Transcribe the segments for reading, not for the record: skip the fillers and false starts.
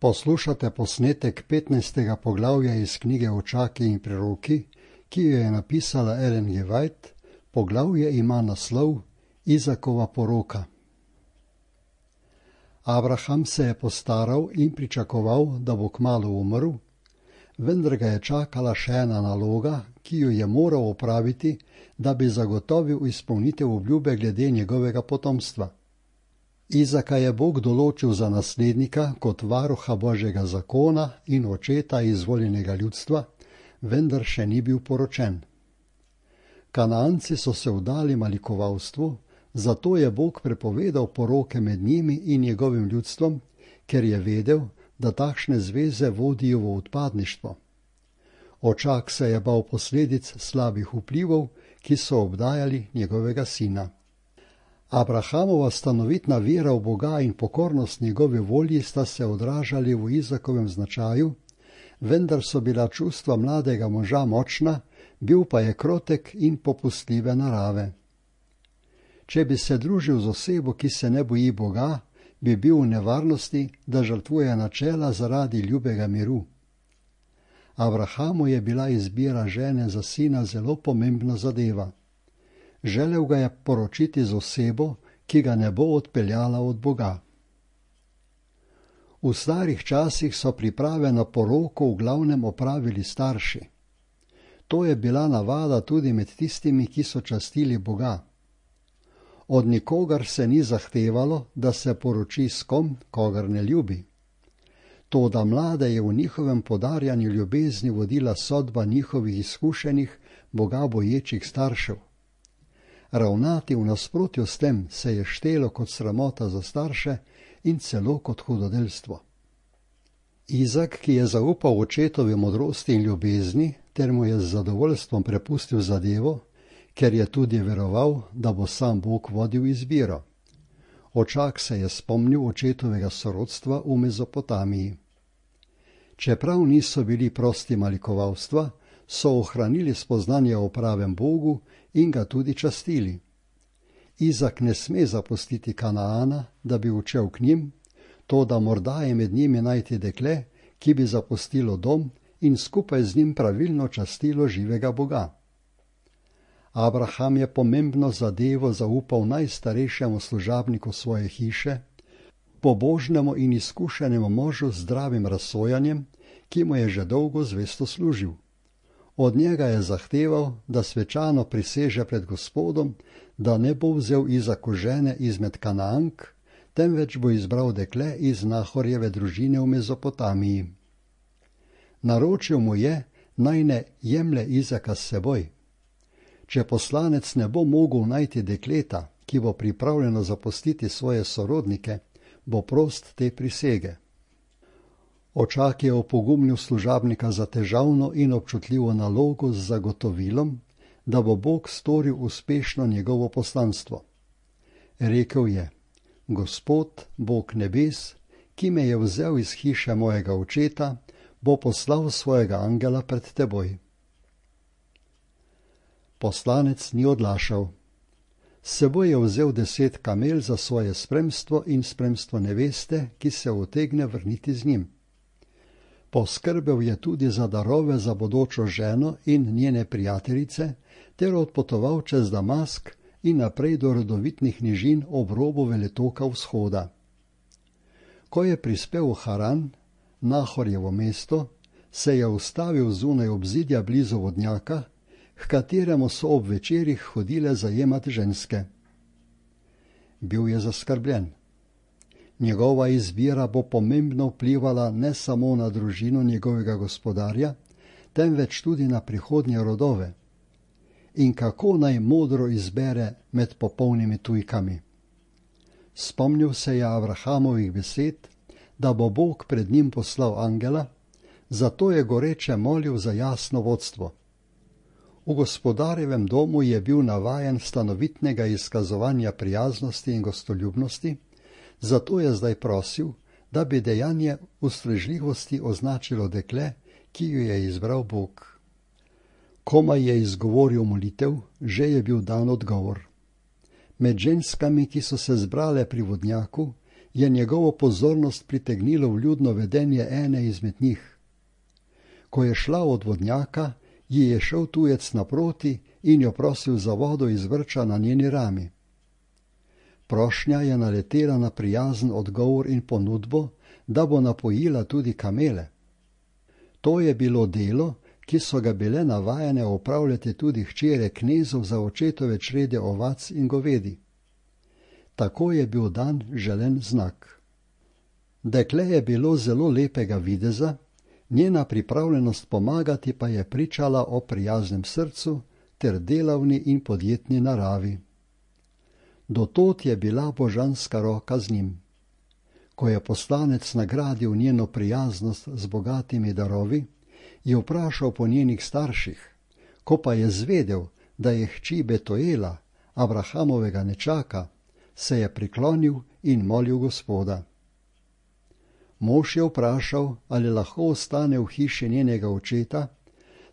Poslušate posnetek 15. poglavja iz knjige Očaki in preroki, ki jo je napisala Ellen G. White. Poglavje ima naslov Izakova poroka. Abraham se je postaral in pričakoval, da bo kmalu umrl, vendar ga je čakala še ena naloga, ki jo je moral opraviti, da bi zagotovil izpolnitev obljube glede njegovega potomstva. Izaka je Bog določil za naslednika kot varuha Božjega zakona in očeta izvoljenega ljudstva, vendar še ni bil poročen. Kanaanci so se vdali malikovalstvu, zato je Bog prepovedal poroke med njimi in njegovim ljudstvom, ker je vedel, da takšne zveze vodijo v odpadništvo. Očak se je bal posledic slabih vplivov, ki so obdajali njegovega sina. Abrahamova stanovitna vera v Boga in pokornost njegovi volji sta se odražali v Izakovem značaju, vendar so bila čustva mladega moža močna, bil pa je krotek in popustljive narave. Če bi se družil z osebo, ki se ne boji Boga, bi bil v nevarnosti, da žrtvuje načela zaradi ljubega miru. Abrahamu je bila izbira žene za sina zelo pomembna zadeva. Želel ga je poročiti z osebo, ki ga ne bo odpeljala od Boga. V starih časih so priprave na poroko v glavnem opravili starši. To je bila navada tudi med tistimi, ki so častili Boga. Od nikogar se ni zahtevalo, da se poroči s kom, kogar ne ljubi. Toda mlade je v njihovem podarjanju ljubezni vodila sodba njihovih izkušenih, Boga boječih staršev. Ravnati v nasprotju s tem se je štelo kot sramota za starše in celo kot hudodelstvo. Izak, ki je zaupal očetovi modrosti in ljubezni, ter mu je z zadovoljstvom prepustil zadevo, ker je tudi veroval, da bo sam Bog vodil izbiro. Očak se je spomnil očetovega sorodstva v Mezopotamiji. Čeprav niso bili prosti malikovalstva, so ohranili spoznanje o pravem Bogu in ga tudi častili. Izak ne sme zapustiti Kanaana, da bi odšel k njim, toda morda je med njimi najti dekle, ki bi zapustilo dom in skupaj z njim pravilno častilo živega Boga. Abraham je pomembno zadevo zaupal najstarejšemu služabniku svoje hiše, pobožnemu in izkušenemu možu z zdravim razsojanjem, ki mu je že dolgo zvesto služil. Od njega je zahteval, da svečano priseže pred Gospodom, da ne bo vzel Izaku žene izmed Kanaank, temveč bo izbral dekle iz Nahorjeve družine v Mezopotamiji. Naročil mu je, naj ne jemlje Izaka s seboj. Če poslanec ne bo mogel najti dekleta, ki bo pripravljeno zapustiti svoje sorodnike, bo prost te prisege. Očak je opogumnil služabnika za težavno in občutljivo nalogo z zagotovilom, da bo Bog storil uspešno njegovo poslanstvo. Rekel je: Gospod, Bog nebes, ki me je vzel iz hiše mojega očeta, bo poslal svojega angela pred teboj. Poslanec ni odlašal. S seboj je vzel 10 kamel za svoje spremstvo in spremstvo neveste, ki se utegne vrniti z njim. Poskrbel je tudi za darove za bodočo ženo in njene prijateljice, ter odpotoval čez Damask in naprej do rodovitnih nižin ob robu veletoka vzhoda. Ko je prispel v Haran, Nahorjevo mesto, se je ustavil zunaj obzidja blizu vodnjaka, h kateremu so ob večerih hodile zajemat ženske. Bil je zaskrbljen. Njegova izbira bo pomembno vplivala ne samo na družino njegovega gospodarja, temveč tudi na prihodnje rodove. In kako naj modro izbere med popolnimi tujkami? Spomnil se je Abrahamovih besed, da bo Bog pred njim poslal angela, zato je goreče molil za jasno vodstvo. V gospodarjevem domu je bil navajen stanovitnega izkazovanja prijaznosti in gostoljubnosti, zato je zdaj prosil, da bi dejanje ustrežljivosti označilo dekle, ki jo je izbral Bog. Komaj je izgovoril molitev, že je bil dan odgovor. Med ženskami, ki so se zbrale pri vodnjaku, je njegovo pozornost pritegnilo vljudno vedenje ene izmed njih. Ko je šla od vodnjaka, ji je šel tujec naproti in jo prosil za vodo iz vrča na njeni rami. Prošnja je naletela na prijazen odgovor in ponudbo, da bo napojila tudi kamele. To je bilo delo, ki so ga bile navajene opravljati tudi hčere knezov za očetove črede ovac in govedi. Tako je bil dan želen znak. Dekle je bilo zelo lepega videza, njena pripravljenost pomagati pa je pričala o prijaznem srcu ter delavni in podjetni naravi. Do tod je bila božanska roka z njim. Ko je poslanec nagradil njeno prijaznost z bogatimi darovi, je vprašal po njenih starših, ko pa je zvedel, da je hči Betuela, Abrahamovega nečaka, se je priklonil in molil Gospoda. Mož je vprašal, ali lahko ostane v hiši njenega očeta,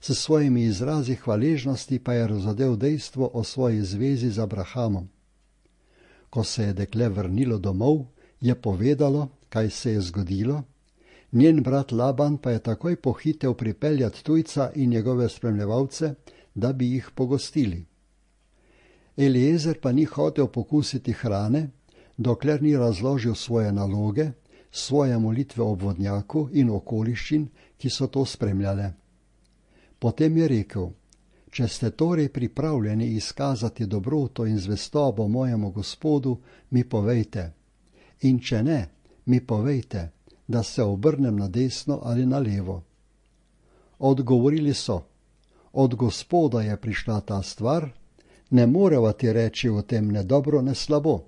s svojimi izrazi hvaležnosti pa je razodel dejstvo o svoji zvezi z Abrahamom. Ko se je dekle vrnilo domov, je povedalo, kaj se je zgodilo, njen brat Laban pa je takoj pohitel pripeljati tujca in njegove spremljevalce, da bi jih pogostili. Eliezer pa ni hotel pokusiti hrane, dokler ni razložil svoje naloge, svoje molitve ob vodnjaku in okoliščin, ki so to spremljale. Potem je rekel, če ste torej pripravljeni izkazati dobroto in zvestobo mojemu Gospodu, mi povejte, in če ne, mi povejte, da se obrnem na desno ali na levo. Odgovorili so, od Gospoda je prišla ta stvar, ne moreva ti reči o tem ne dobro, ne slabo.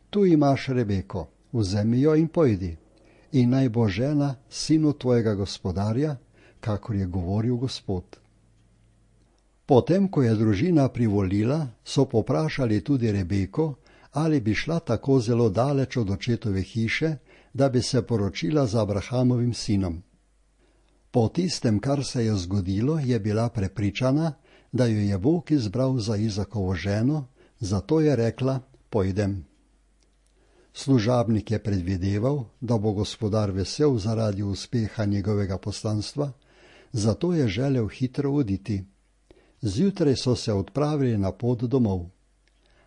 Tu imaš Rebeko, vzemi jo in pojdi, in naj bo žena sinu tvojega gospodarja, kakor je govoril Gospod. Potem, ko je družina privolila, so poprašali tudi Rebeko, ali bi šla tako zelo daleč od očetove hiše, da bi se poročila z Abrahamovim sinom. Po tistem, kar se je zgodilo, je bila prepričana, da jo je Bog izbral za Izakovo ženo, zato je rekla, pojdem. Služabnik je predvideval, da bo gospodar vesel zaradi uspeha njegovega poslanstva, zato je želel hitro oditi. Zjutraj so se odpravili na pot domov.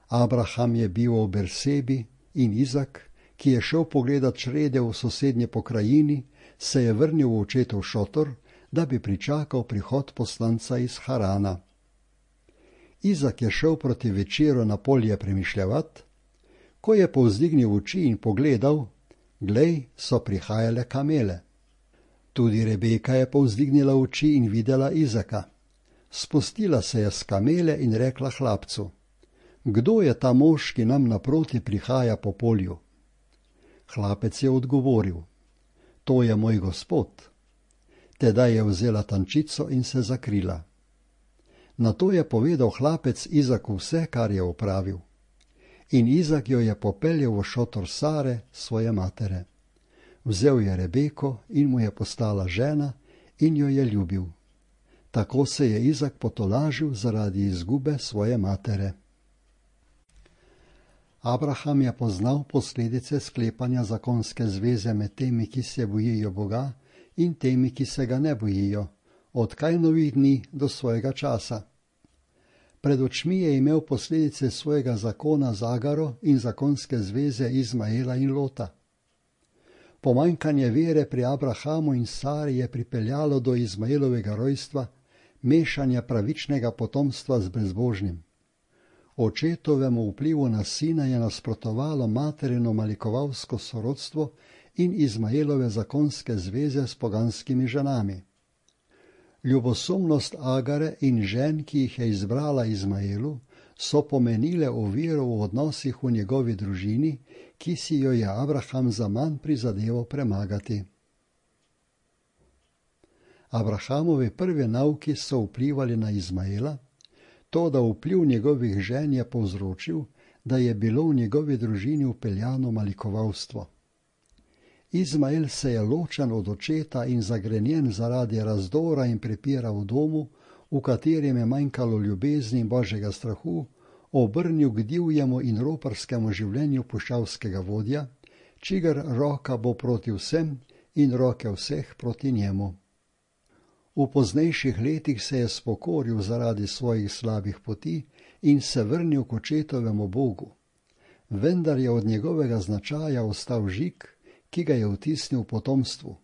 Abraham je bil v Bersebi in Izak, ki je šel pogledat črede v sosednje pokrajini, se je vrnil v očetov šotor, da bi pričakal prihod poslanca iz Harana. Izak je šel proti večeru na polje premišljavat, ko je povzdignil oči in pogledal, glej, so prihajale kamele. Tudi Rebeka je povzdignila oči in videla Izaka. Spustila se je s kamele in rekla hlapcu, kdo je ta mož, ki nam naproti prihaja po polju? Hlapec je odgovoril, to je moj gospod. Tedaj je vzela tančico in se zakrila. Nato je povedal hlapec Izaku vse, kar je opravil. In Izak jo je popeljal v šotor Sare, svoje matere. Vzel je Rebeko in mu je postala žena in jo je ljubil. Tako se je Izak potolažil zaradi izgube svoje matere. Abraham je poznal posledice sklepanja zakonske zveze med temi, ki se bojijo Boga, in temi, ki se ga ne bojijo, od Kajnovih dni do svojega časa. Pred očmi je imel posledice svojega zakona z Agaro in zakonske zveze Izmaela in Lota. Pomanjkanje vere pri Abrahamu in Sari je pripeljalo do Izmaelovega rojstva, mešanja pravičnega potomstva z brezbožnim. Očetovemu vplivu na sina je nasprotovalo materino malikovalsko sorodstvo in Izmaelove zakonske zveze s poganskimi ženami. Ljubosumnost Agare in žen, ki jih je izbrala Izmaelu, so pomenile oviro v odnosih v njegovi družini, ki si jo je Abraham zaman prizadeval premagati. Abrahamovi prvi nauki so vplivali na Izmaela, to, da vpliv njegovih žen je povzročil, da je bilo v njegovi družini vpeljano malikovalstvo. Izmael se je ločen od očeta in zagrenjen zaradi razdora in prepira v domu, v katerem je manjkalo ljubezni in božjega strahu, obrnil k divjemu in roparskemu življenju puščavskega vodja, čigar roka bo proti vsem in roke vseh proti njemu. V poznejših letih se je spokoril zaradi svojih slabih poti in se vrnil k očetovemu Bogu. Vendar je od njegovega značaja ostal žig, ki ga je vtisnil potomstvu.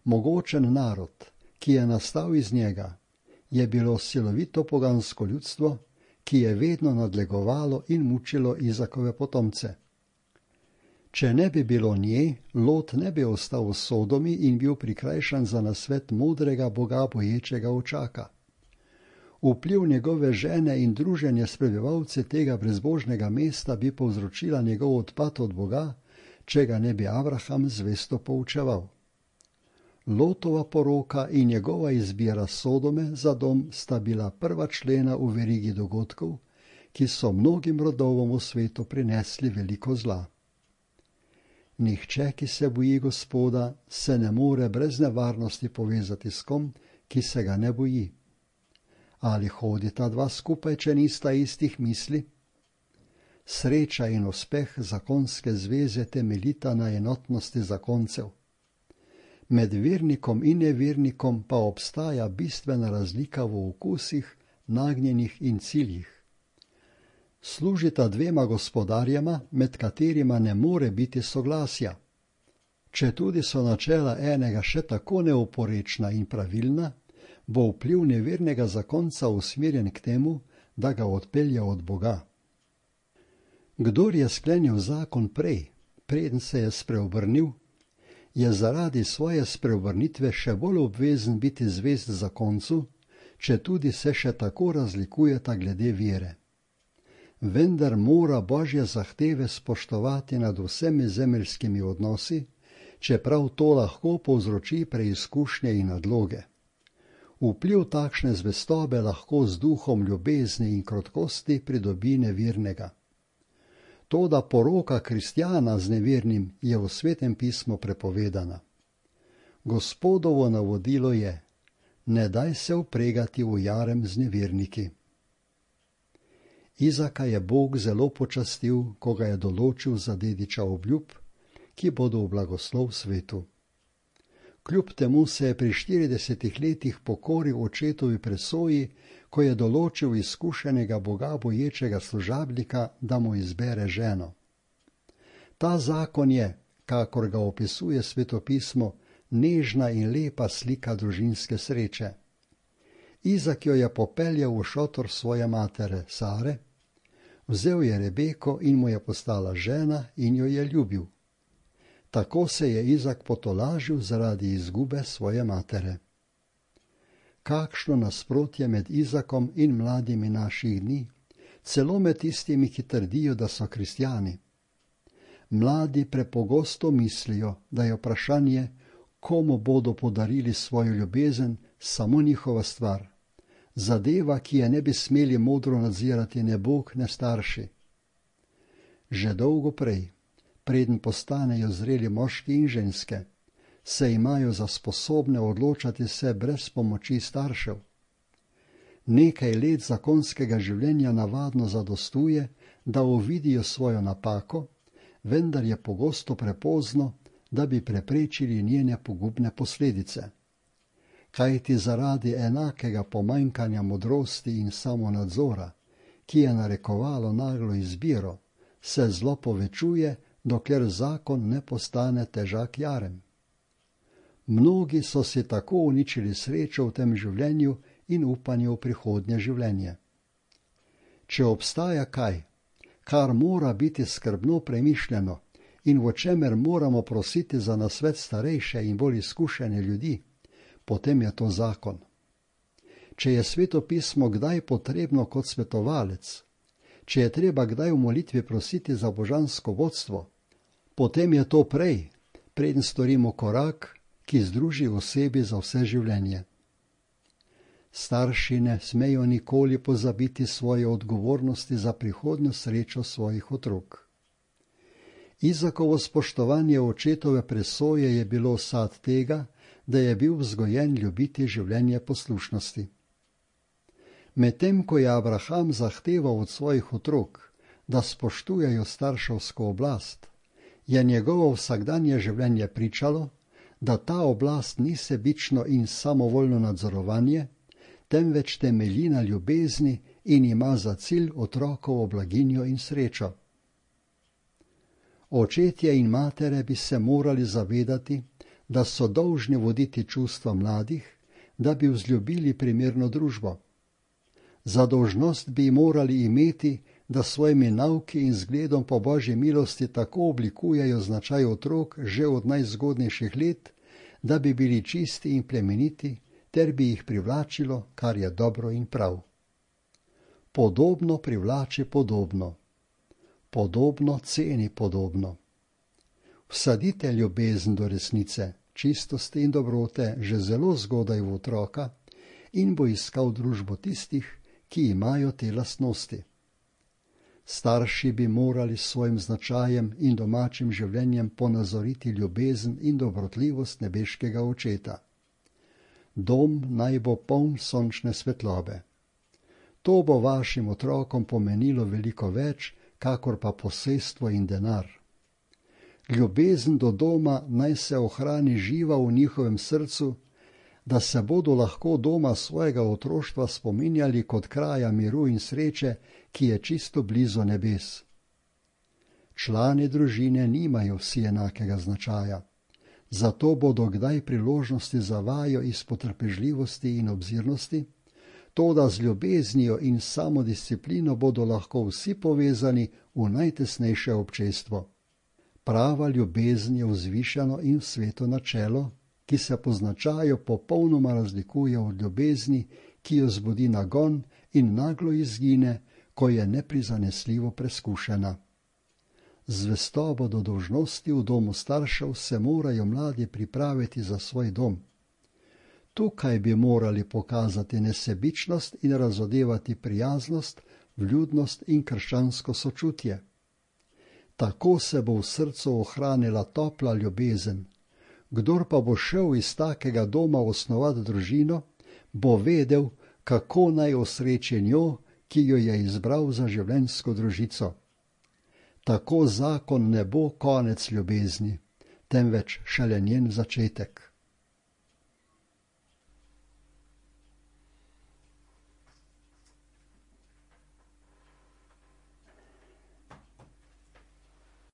Mogočen narod, ki je nastal iz njega, je bilo silovito pogansko ljudstvo, ki je vedno nadlegovalo in mučilo Izakove potomce. Če ne bi bilo nje, Lot ne bi ostal v Sodomi in bil prikrajšan za nasvet modrega Boga boječega očaka. Vpliv njegove žene in druženje s prebivalci tega brezbožnega mesta bi povzročila njegov odpad od Boga, če ga ne bi Abraham zvesto poučeval. Lotova poroka in njegova izbira Sodome za dom sta bila prva člena v verigi dogodkov, ki so mnogim rodovom v svetu prinesli veliko zla. Nihče, ki se boji Gospoda, se ne more brez nevarnosti povezati s kom, ki se ga ne boji. Ali hodita dva skupaj, če nista istih misli? Sreča in uspeh zakonske zveze temeljita na enotnosti zakoncev. Med vernikom in nevernikom pa obstaja bistvena razlika v okusih, nagnjenih in ciljih. Služita dvema gospodarjema, med katerima ne more biti soglasja. Četudi so načela enega še tako neoporečna in pravilna, bo vpliv nevernega zakonca usmerjen k temu, da ga odpelje od Boga. Kdor je sklenil zakon prej, preden se je spreobrnil, je zaradi svoje spreobrnitve še bolj obvezen biti zvest zakoncu, četudi se še tako razlikujeta glede vere. Vendar mora Božje zahteve spoštovati nad vsemi zemeljskimi odnosi, čeprav to lahko povzroči preizkušnje in nadloge. Vpliv takšne zvestobe lahko z duhom ljubezni in krotkosti pridobi nevernega. Toda poroka kristjana z nevernim je v Svetem pismu prepovedana. Gospodovo navodilo je: ne daj se vpregati v jarem z neverniki. Izaka je Bog zelo počastil, ko ga je določil za dediča obljub, ki bodo v blagoslov svetu. Kljub temu se je pri 40 letih pokoril očetovi presoji, ko je določil izkušenega Boga boječega služabnika, da mu izbere ženo. Ta zakon je, kakor ga opisuje Svetopismo, nežna in lepa slika družinske sreče. Izak jo je popeljal v šotor svoje matere Sare, vzel je Rebeko in mu je postala žena in jo je ljubil. Tako se je Izak potolažil zaradi izgube svoje matere. Kakšno nasprotje med Izakom in mladimi naših dni, celo med tistimi, ki trdijo, da so kristjani. Mladi prepogosto mislijo, da je vprašanje, komu bodo podarili svojo ljubezen, samo njihova stvar. Zadeva, ki je ne bi smeli modro nadzirati ne Bog, ne starši. Že dolgo prej, preden postanejo zreli moški in ženske, se imajo za sposobne odločati se brez pomoči staršev. Nekaj let zakonskega življenja navadno zadostuje, da uvidijo svojo napako, vendar je pogosto prepozno, da bi preprečili njene pogubne posledice. Kajti zaradi enakega pomanjkanja modrosti in samonadzora, ki je narekovalo naglo izbiro, se zlo povečuje, dokler zakon ne postane težak jarem. Mnogi so si tako uničili srečo v tem življenju in upanje v prihodnje življenje. Če obstaja kaj, kar mora biti skrbno premišljeno in v čemer moramo prositi za nasvet starejše in bolj izkušene ljudi, potem je to zakon. Če je Svetopismo kdaj potrebno kot svetovalec, če je treba kdaj v molitvi prositi za božansko vodstvo, potem je to prej, preden storimo korak, ki združi osebi za vse življenje. Starši ne smejo nikoli pozabiti svoje odgovornosti za prihodnjo srečo svojih otrok. Izakovo spoštovanje očetove presoje je bilo sad tega, da je bil vzgojen ljubiti življenje poslušnosti. Medtem ko je Abraham zahteval od svojih otrok, da spoštujejo starševsko oblast, je njegovo vsakdanje življenje pričalo, da ta oblast ni sebično in samovoljno nadzorovanje, temveč temelji na ljubezni in ima za cilj otrokovo blaginjo in srečo. Očetje in matere bi se morali zavedati, da so dolžni voditi čustva mladih, da bi vzljubili primerno družbo. Za dolžnost bi morali imeti, da svojimi nauki in zgledom po Božji milosti tako oblikujejo značaj otrok že od najzgodnejših let, da bi bili čisti in plemeniti, ter bi jih privlačilo, kar je dobro in prav. Podobno privlači podobno. Podobno ceni podobno. Vsadite ljubezen do resnice, čistosti in dobrote že zelo zgodaj v otroka in bo iskal družbo tistih, ki imajo te lastnosti. Starši bi morali s svojim značajem in domačim življenjem ponazoriti ljubezen in dobrotljivost nebeškega očeta. Dom naj bo poln sončne svetlobe. To bo vašim otrokom pomenilo veliko več, kakor pa posestvo in denar. Ljubezen do doma naj se ohrani živa v njihovem srcu, da se bodo lahko doma svojega otroštva spominjali kot kraja miru in sreče, ki je čisto blizu nebes. Člani družine nimajo vsi enakega značaja, zato bodo kdaj priložnosti za vajo iz potrpežljivosti in obzirnosti, toda z ljubeznijo in samodisciplino bodo lahko vsi povezani v najtesnejše občestvo. Prava ljubezen je vzvišeno in sveto načelo, ki se po značaju popolnoma razlikuje od ljubezni, ki jo zbudi nagon in naglo izgine, ko je neprizanesljivo preskušena. Zvestobo do dolžnosti v domu staršev se morajo mladi pripraviti za svoj dom. Tukaj bi morali pokazati nesebičnost in razodevati prijaznost, vljudnost in krščansko sočutje. Tako se bo v srcu ohranila topla ljubezen. Kdor pa bo šel iz takega doma osnovati družino, bo vedel, kako naj osreči njo, ki jo je izbral za življenjsko družico. Tako zakon ne bo konec ljubezni, temveč šele njen začetek.